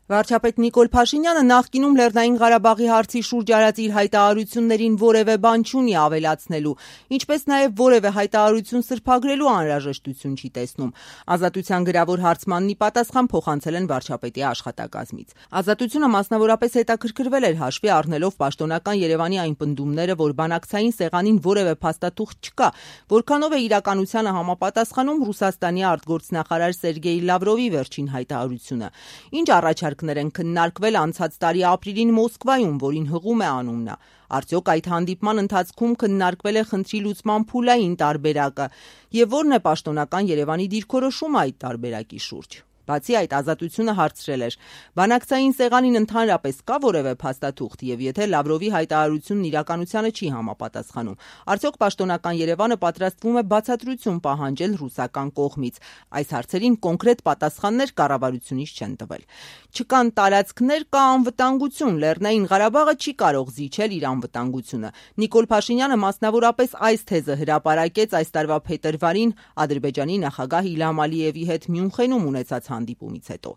Վարչապետ Նիկոլ Փաշինյանը նախկինում Լեռնային Ղարաբաղի հարցի շուրջ արած իր հայտարարություններին որևէ բան չունի ավելացնելու, ինչպես նաև որևէ հայտարարություն սրբագրելու անհրաժեշտություն չի տեսնում։ Ազատության գրավոր հարցմանն ի պատասխան փոխանցել են վարչապետի աշխատակազմից։ Ազատությունը մասնավորապես հետաքրքրվել էր հաշվի առնելով պաշտոնական Երևանի այն պնդումները, որ բանակցային սեղանին որևէ փաստաթուղթ չկա, որքանով է իրականությանը համապատասխանում Ռուսաստանի արտգործնախարար Սերգեյ Լավրովի վերջին հայտարարությունը։ Ինչ առաջարկներ են քննարկվել անցած տարի ապրիլին Մոսկվայում, որին հղում է անուն նա։ Արդյոք այդ հանդիպման ընթացքում քննարկվել է խնդրի լուծման փուլային տարբերակը, եւ որն է պաշտոնական Երևանի դիրքորոշումը այդ տարբերակի շուրջ։ Բացի այդ, Ազատությունը հարցրել էր. բանակցային սեղանին ընդհանրապես կա որևէ փաստաթուղթ, եւ եթե Լավրովի հայտարարությունն իրականությանը չի համապատասխանում, արդյոք պաշտոնական Երևանը պատրաստվում է բացատրություն պահանջել ռուսական կողմից։ Այս հարցերին կոնկրետ պատասխաններ կառավարությունից չեն տվել։ Չկան տարածքներ, կա անվտանգություն, Լեռնային Ղարաբաղը չի կարող զիջել իր անվտանգությունը։ Նիկոլ Փաշինյանը մասնավորապես այս թեզը հրապարակեց այս տարվա փետրվարին Ադրբեջանի նախագահ Իլհամ Ալիևի հետ Մյունխենում ունեցած հանդիպումից հետո։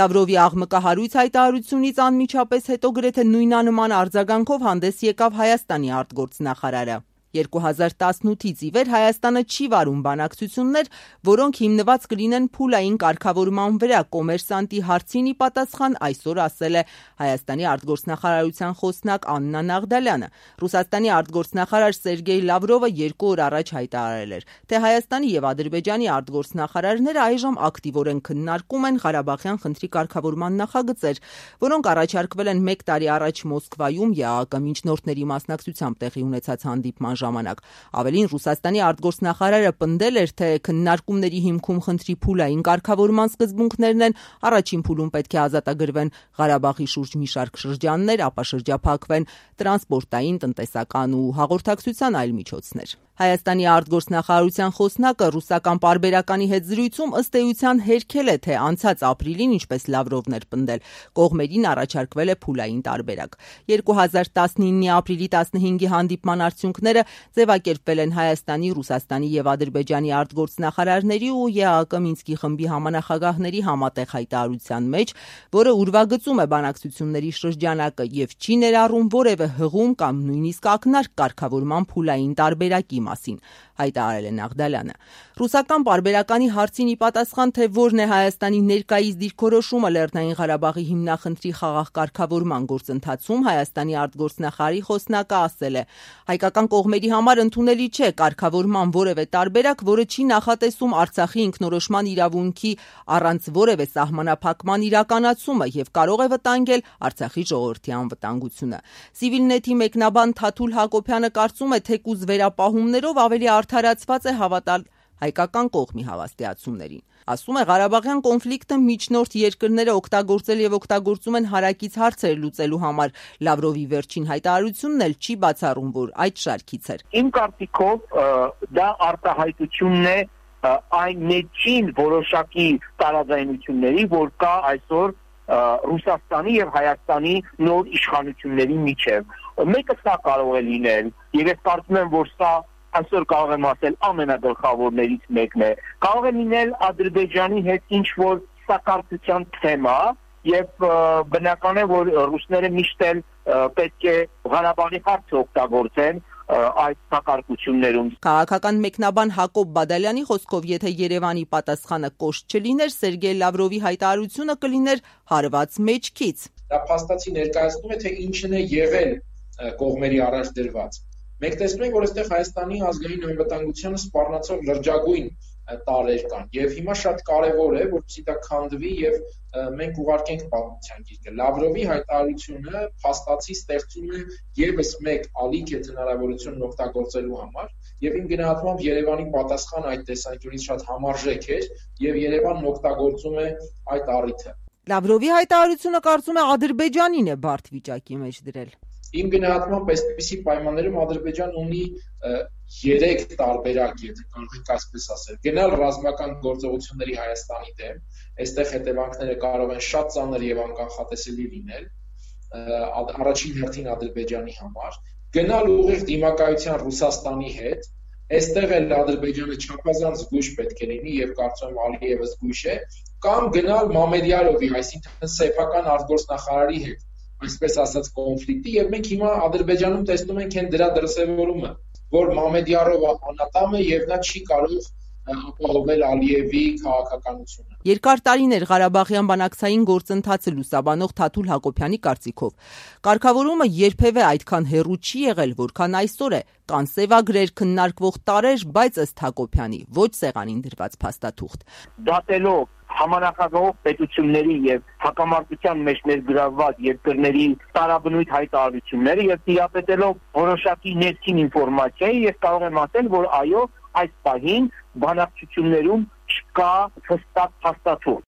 Լավրովի աղմկահարույց հայտարարությունից անմիջապես հետո գրեթե նույնանման արձագանքով հանդես եկավ Հայաստանի արտգործնախարարը։ 2018-ից ի վեր Հայաստանը չի վարում բանակցություններ, որոնք հիմնված կլինեն փուլային կարգավորման վրա, կոմերսանտի հարցին ի պատասխան այսօր ասել է Հայաստանի արտգործնախարարության խոսնակ Աննա Նաղդալյանը։ Ռուսաստանի արտգործնախարար Սերգեյ Լավրովը 2 օր առաջ հայտարարել էր, թե Հայաստանի եւ Ադրբեջանի արտգործնախարարները այժմ ակտիվորեն քննարկում են Ղարաբաղյան խնդրի կարգավորման նախագծեր, որոնք առաջարկվել են 1 տարի առաջ Մոսկվայում ԵԱՀԿ միջնորդների մասնակցությամբ տեղի ունեցած հանդիպման ժամանակ։ Ավելին, Ռուսաստանի արտգործնախարարը պնդել էր, թե քննարկումների հիմքում խնդրի փուլային կարգավորման սկզբունքներն են, առաջին փուլում պետք է ազատագրվեն Ղարաբաղի շուրջ մի շարք շրջաններ, ապա շրջափակվեն տրանսպորտային, տնտեսական ու հաղորդակցության այլ միջոցներ։ Հայաստանի արտգործնախարարության խոսնակը ռուսական պարբերականի հետ զրույցում ըստ էության հերքել է, թե անցած ապրիլին, ինչպես Լավրովն էր պնդել, կողմերին առաջարկվել է փուլային տարբերակ։ 2019-ի ապրիլի 15-ի հանդիպման արդյունքները ձևակերպվել են Հայաստանի, Ռուսաստանի եւ Ադրբեջանի արտգործնախարարների ու ԵԱՀԿ Մինսկի խմբի համանախագահների համատեղ հայտարարության մեջ, որը ուրվագծում է բանակցությունների շրջանակը եւ չի ներառում որևէ հղում կամ նույնիսկ ակնարկ կարգավորման փուլային տարբերակի մասին, հայտարարել է Նաղդալյանը։ Ռուսական պարբերականի հարցին ի պատասխան, թե որն է Հայաստանի ներկայիս դիրքորոշումը Լեռնային Ղարաբաղի հիմնախնդրի խաղաղ կարգավորման գործընթացում, Հայաստանի արտգործնախարարի խոսնակը ասել է. հայկական կողմերի համար ընդունելի չէ կարգավորման որևէ տարբերակ, որը չի նախատեսում Արցախի ինքնորոշման իրավունքի առանց որևէ սահմանափակման իրականացումը եւ կարող է վտանգել Արցախի ժողովրդի անվտանգությունը։ Civilnet-ի մեկնաբան Թաթուլ Հակոբյանը կարծում է, թեկուզ վերապահումներով ավելի արդարացված է հավատալ հայկական կողմի հավաստիացումներին։ Ասում է, Ղարաբաղյան կոնֆլիկտը միջնորդ երկրները օգտագործել եւ օգտագործում են հարակից հարցեր լուծելու համար։ Լավրովի վերջին հայտարարությունն էլ չի բացառում, որ այդ շարքից էր։ Իմ կարծիքով դա արտահայտությունն է այն մեջին որոշակի տարաձայնությունների, որ կա այսօր Ռուսաստանի եւ Հայաստանի նոր իշխանությունների միջեւ։ Մեկը սա կարող է լինել, եւ ես կարծում եմ, որ սա այսօր կարող եմ ասել ամենագլխավորներից մեկն է։ Կարող է լինել Ադրբեջանի հետ ինչ-որ սակարկության թեմա, եւ բնական է, որ ռուսները միշտ էլ պետք է Ղարաբաղի հարցը օգտագործեն այդ սակարկություններում։ Քաղաքական մեկնաբան Հակոբ Բադալյանի խոսքով, եթե Երևանի պատասխանը կոշտ չլիներ, Սերգեյ Լավրովի հայտարարությունը կլիներ հարված մեջքից։ Դա փաստացի ներկայացնում է, թե ինչն է եղել կողմերի առաջ դրված։ Մենք տեսնում ենք, որ այստեղ Հայաստանի ազգային անվտանգությանը սպառնացող լրջագույն տարեր կան, եւ հիմա շատ կարեւոր է, որպեսզի դա քանդվի եւ մենք ուղարկենք պատմության գիրկը։ Լավրովի հայտարարությունը փաստացի ստեղծում է եւս մեկ ալիք հնարավորությունն օգտագործելու համար, եւ իմ գնահատմամբ Երևանի պատասխանը այդ տեսանկյունից շատ համարժեք էր, եւ Երևանն օգտագործում է այդ առիթը։ Լավրովի հայտարարությունը կարծում է Ադրբեջանին է բարդ վիճակի մեջ դրել։ Իմ գնահատմամբ այսպիսի պայմաններում Ադրբեջանն ունի 3 տարբերակ, եթե կարող ենք այսպես ասել։ Գնալ ռազմական գործողությունների Հայաստանի դեմ, այստեղ հետևանքները կարող են շատ ծանր եւ անկանխատեսելի լինել, առաջին հերթին Ադրբեջանի համար, գնալ ուղիղ դիմակայության Ռուսաստանի հետ, այստեղ էլ Ադրբեջանը չափազանց զգույշ պետք է լինի եւ կարծում եմ Ալիևը զգույշ է, կամ գնալ Մամեդյարովի, այսինքն սեփական արտգործնախարարի հետ, այսպես ասած կոնֆլիկտի, եւ մենք հիմա Ադրբեջանում տեսնում ենք այն դրա դրսևորումը, որ Մամեդյարովը անատամ է եւ նա չի կարող ապահովել Ալիևի քաղաքականությունը։ Երկար տարիներ Ղարաբաղյան բանակցային գործընթացը լուսաբանող Թաթուլ Հակոբյանի կարծիքով կարգավորումը երբևէ այդքան հեռու չի եղել, որքան այսօր է, կան սևագրեր, քննարկվող տարրեր, բայց ըստ Հակոբյանի ոչ սեղանին դրված փաստաթուղթ։ Դատելով համանախագահող պետությունների եւ հակամարտության մեջ ներգրավված երկրների տարաբնույթ հայտարարությունները եւ տիրապետելով որոշակի ներքին ինֆորմացիայի, ես կարող եմ ասել, որ այո, այս պահին բանակցություններում չկա հստակ փաստաթուղթ։